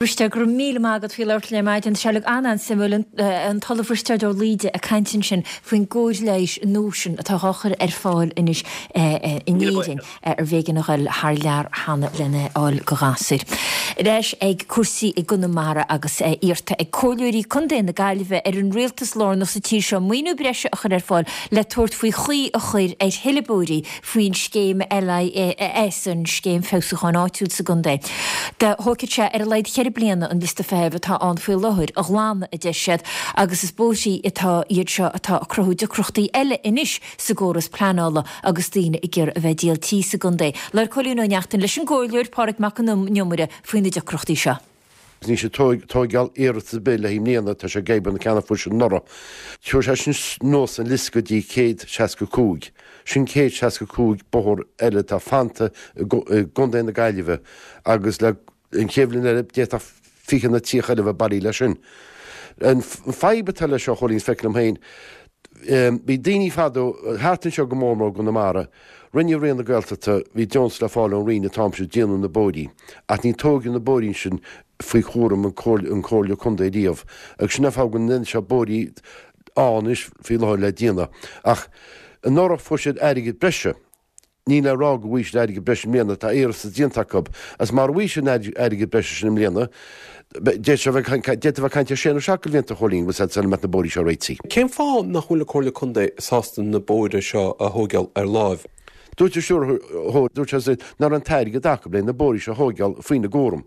Risteard, go raibh míle maith agat faoi labhairt linn ar maidin. Tá sé uilig an-an-suimiúil. An tOllamh Risteard Ó Laoide ag caint ansin faoin gcóir leighis nua sin atá dhá chur ar fáil anois in Éirinn arbh éigean a ghoil thar lear cheana lena fháil do ghasúir. Ar ais ag cúrsaí i gConamara agus é iarrta ag Comhairleoirí Contae na Gaillimhe ar an rialtas lárnach sa tír seo maoiniú breise a chur ar fáil le tabhairt faoi chaoi a chur ar thuilleadh bóithrí faoin scéim LIS, an Scéim Feabhsúcháin Áitiúil sa gcontae. Thógfadh sé ar a laghad cheithre bliana an liosta feithimh atá ann faoi láthair a ghlanadh, a deir siad, agus is bóithrí atá iad seo atá ag cruthú deacrachtaí eile anois sa gcóras pleanála agus daoine ag iarraidh a bheith ag díol tí sa gcontae. Labhair Cóilín Ó Neachtain leis an gComhairleoir Pádraig Mac an Iomaire faoi na deacrachtaí seo. Níl sé ag tóigeáil iarratas ar bith le i mbliana, tá sé ag obair na ceanna fuair siad anuraidh. Chuir sé sin anuas an liosta go dtí 165. Sin 165 bóthar eile atá fanta i gContae na Gaillimhe agus le an chéad bhliain eile d'fhéadfadh 20 nó 30 eile a bheith bailithe leis sin. An fadhb atá leis seo, a Chóilín, is feictear liom féin, bhí daoine fadó, thart anseo go mór mór i gConamara, rinne Roinn na Gaeltachta, bhí deontas le fáil ón Roinn an t-am sin déanamh na bóithrí, ach ní tóigeadh na bóithrí sin faoi chúram an Comhairle Contae riamh, agus sin an fáth go bhfuil seo bóithrí ann anois faoi láthair le déanamh. Ach anuraidh fuair siad airgead breise. Níl le rá go bhfaighidh siad airgead breise i mbliana, tá iarratas déanta acu, agus mara bhfaighidh siad an airgead breise sin i mbliana, d'fhéadfadh a bheith ag caint ar sé nó seacht de bhlianta, a Chóilín, bhfuil sula mbeadh na bóithrí seo réitithe. Cén fáth nach bhfuil an Comhairle Contae sásta na bóithre seo a thóigeáil ar láimh? Dúirt an stiúrthóir, dúirt sé nach raibh an t-airgead acu le na bóithrí seo a thóigeáil faoina gcúram.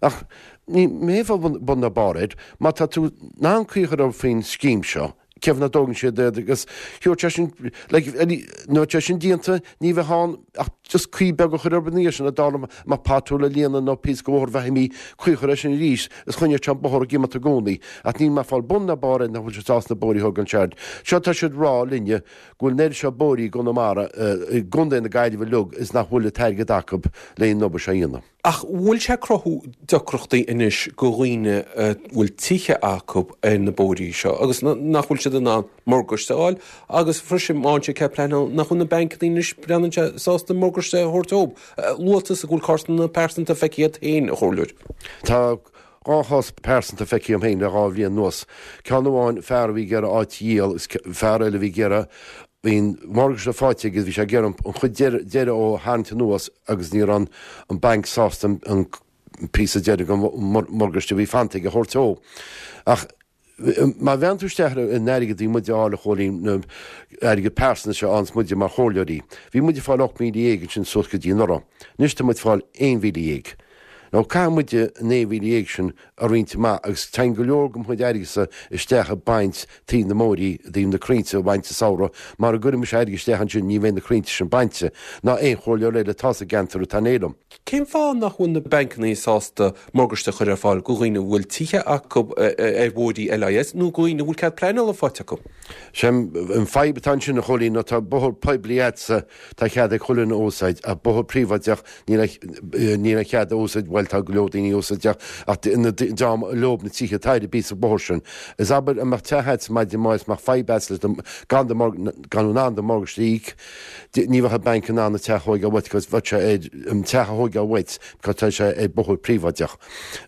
Ach ní mé bun ná barr air, má tá tú in ann caoi a chur orthu faoin scéim seo, Cén fáth nach dtógann siad iad agus thiúrfadh sé sin, like, nuair atá sé sin déanta, ní bheadh ann ach just caoi beag a chur orthu ina dhiaidh sin, a dtarla mbeadh pothole a líonadh nó píosa de bhóthar bheith imithe, caoi a chur air sin arís is choinneodh sé an bóthar ag imeacht i gcónaí. Ach níl mé ag fáil bun ná barr air nach bhfuil siad sásta na bóithrí a thógáil ansin. Seo tá siad ag rá linne go bhfuil an oiread seo bóithrí i gConamara, i gContae na Gaillimhe uilig is nach bhfuil an t-airgead acu le an obair seo a dhéanamh. Ach bhfuil sé ag cruthú deacrachtaí anois go dhaoine a bhfuil tithe acu ar na bóithrí seo agus nach bhfuil siad in ann morgáiste a fháil agus freisin má fhaigheann siad cead pleanála nach bhfuil na bancanna anois breathnaíonn sé sásta morgáiste a thabhairt dóibh. Luaigh tusa go bhfuil cásanna pearsanta feicthe agat féin, a Chomhairleoir. Tá 2 chás pearsanta feicthe agam féin le 2 bhliain anuas. Ceann amháin, fear a bhí ag iarraidh áit a dhíol agus fear eile a bhí ag iarraidh, bhí an morgáiste faighte aige agus bhí sé ag iarraidh an chuid deiridh dhó a tharraingt anuas agus ní raibh an banc sásta an píosa deiridh den mhorgáiste a bhí fanta aige a thabhairt dhó. Ach má bhreathnaíonn tú isteach ar an airgead a bhí muid a fháil a Chóilín, na airgead pearsanta seo a fhaigheanns muide mar chomhairleoirí, bhí muid ag fáil 18,000 ansin suas go dtí anuraidh. Anois tá muid ag fáil 11,000. Now caithfidh muide an 11,000 sin a roinnt amach agus téann go leor de mo chuid airgeadsa isteach ag baint taobh na mbóithrí, i dtaobh na crainnte a bhaint sa samhradh, mara gcuireann mise airgead isteach ansin ní bheidh na crainnte sin bainte, ná aon chomhairleoir eile atá sa gceantar atá in éineacht liom. Cén fáth nach bhfuil na bancanna sásta morgáiste a chur ar fáil do dhaoine a bhfuil tithe acu ar bhóithrí LIS nó do dhaoine a bhfuil cead pleanála faighte acu? Sé an fadhb atá ansin, a Chóilín, ná tá bóthar poiblí a'dsa, tá cead ag chuile dhuine a úsáid, ach bóthar príobháideach, níl níl aon chead a úsáid, bhuel tá go leor daoine a úsáid ach dream leob na tithe atá ar an bpíosa bóthair sin. Is abair a mbeadh teach a'dsa maidin amárach is mbeadh fadhb a'dsa leis na, gan do, gan in ann do mhorgáiste a íoc, Ní bheadh an banc in ann an teach a thóigeáil uait because bheadh sé ar an teach a thóigeáil uait because tá sé ar bóthar príobháideach.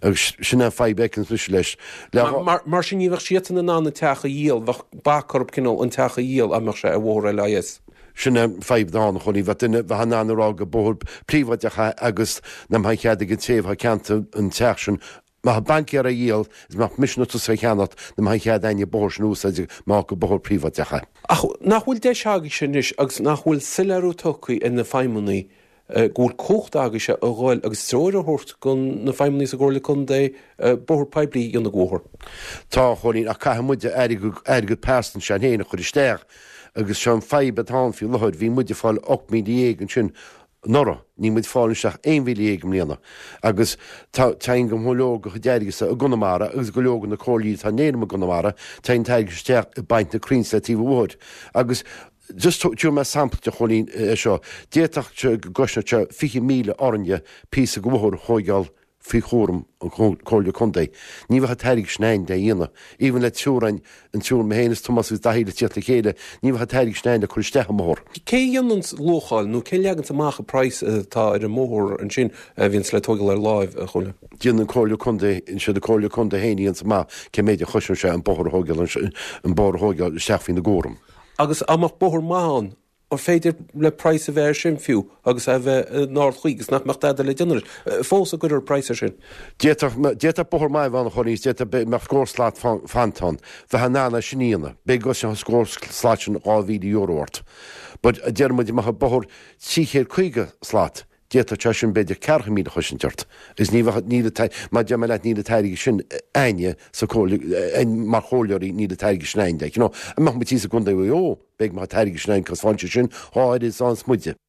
Agus sin é an fadhb a fheiceanns mise leis. Le Mar, mar sin ní bheadh siadsan in ann an teach a dhíol, bheadh bac orthu cineál an teach a dhíol dá mbeadh sé ar bhóthar LIS. Sin é an fadhb atá ann, a Chóilín. Bheadh duine, bheadh in ann a rá gur bóthar príobháideach é agus nach mbeadh an chead ag an té atá ag ceanntú an teach sin Má tá banc ag iarraidh a dhíol, is má mise nó tusa a cheannacht, nach mbeadh an chead a'inne an bóthar sin a úsáid mar gur bóthar príobháideach é. Ach nach bhfuil deis agaibhse anois agus nach bhfuil soiléiriú tugtha ar na feidhmeannaigh go bhfuil cumhacht agaibhse a dhul agus treoir a thabhairt go na feidhmeannaigh sa gComhairle Contae bóthar poiblí a dhéanamh de bhóthar? Tá, a Chóilín, ach caithfidh muide airgead, airgead pearsanta s'againn féin a chur isteach agus seo an fadhb atá ann faoi láthair, bhí muid ag fáil 18,000 ansin anuraidh. Níl muid ag fáil anois ach 11,000 i mbliana. Agus tá, téann go leor de chuid airgead i gConamara agus go leor de na comhairlí atá in éineacht i gConamara, téann an t-airgead isteach ag baint na crainn le taobh an bhóthair. Agus just tabharfaidh mé sampla duit a Chóilín é seo. D'fhéadfadh sé go gcosnódh sé 20,000 orainne píosa de bhóthar a thóigeáil. faoi chúram an Comhairle Contae. Ní bheadh an t-airgead sin a'inn le dhéanamh. Even le triúr a'inn, an triúr, mé féin is Tomás agus Daithí le tíocht le chéile, ní bheadh an t-airgead sin a'inn le cur isteach i mbóthar. Cé a dhéanann luacháil nó cé a leaganns amach an praghas atá ar an mbóthar ansin a bhíonns le tóigeáil ar láimh, a Chóilí? Déanann an Comhairle Contae, siad an Comhairle Contae féin a dhéananns amach cé méid a chosnóidh sé an bóthar a thóigeáil, an bóthar a thóigeáil isteach faoina gcúram. Agus dá mbeadh bóthar maith ann, An féidir le praghas a bheith air sin fiú agus é a bheith in ardchaoi agus nach mbeadh dada le déanamh leis fós an gcuirfear praghas air sin? D'fhéadfadh, d'fhéadfadh bóthar maith a bheith ann a Chóilí, d'fhéadfadh go mbeadh scór slat fanta ann. Bheifeá in ann é sin a dhéanamh. B'fhéidir go gcosnódh an scór slat sin €2,000 ort. But deir muid, dá mbeadh bóthar 350 slat, D'fhéadfadh sé sin b'fhéidir 40,000 a chosaint ort agus ní bheadh, níl an, mar deir mé leat, níl an t-airgead sin a'inne sa chomhairle, mar chomhairleoirí níl an t-airgead sin a'inn, like, you know. An mbeadh muid thíos i gContae Mhaigh Eo, b'fhéidir go mbeadh an t-airgead sin a'inn 'cause faigheann sé sin dhá oiread is a fhaigheanns muide.